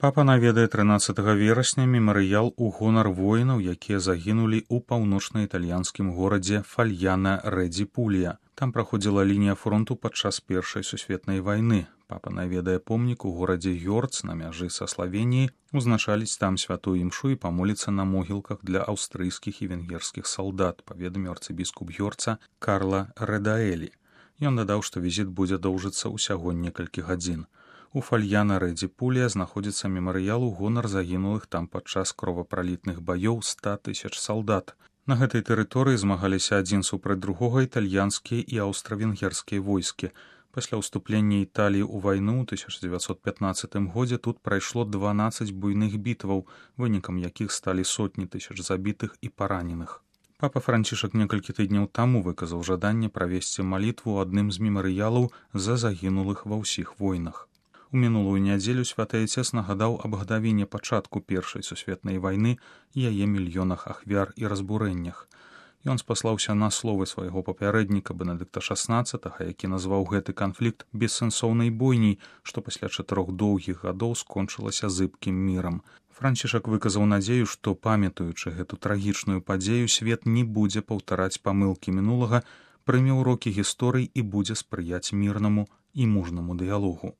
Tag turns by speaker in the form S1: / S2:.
S1: Папа наведае 13 верасня мемарыял у гонар воінаў, якія загінулі ў паўночна-італьянскім горадзе Фальяна-Рэдзі-Пулья. Там праходзіла лінія фронту падчас Першай сусветнай вайны. Папа наведае помнік у горадзе Гёрц на мяжы са Славеніяй, узначаліць там святую імшу і памоліцца на могілках для аўстрыйскіх і венгерскіх салдат, паведаміў арцыбіскуп Гёрца Карла Рэдаэлі. Ён дадаў, што візіт будзе доўжыцца ўсяго некалькі гадзін. У Фальяна-Рэдзі-Пулья знаходзіцца мемарыял у гонар загінулых там падчас кровапралітных баёў 100 000 салдат. На гэтай тэрыторыі змагаліся адзін супраць другога італьянскія і аўстра-венгерскія войскі. Пасля ўступлення Італіі ў вайну ў 1915 годзе тут прайшло 12 буйных бітваў, вынікам якіх сталі сотні тысяч забітых і параненых. Папа Францішак некалькі тыдняў таму выказаў жаданне правесці малітву ў адным з мемарыялаў за загінулых ва ўсіх войнах. У мінулую нядзелю святы Айцец нагадаў аб гадавіне пачатку Першай сусветнай вайны і яе мільёнах ахвяр і разбурэннях. Ён спаслаўся на словы свайго папярэдніка Бенедыкта XVI, які назваў гэты канфлікт бессэнсоўнай бойняй, што пасля 4 доўгіх гадоў скончылася зыбкім мірам. Францішак выказаў надзею, што, памятаючы гэту трагічную падзею, свет не будзе паўтараць памылкі мінулага, прыме ўрокі гісторыі і будзе спрыяць мірнаму і мужнаму дыялогу.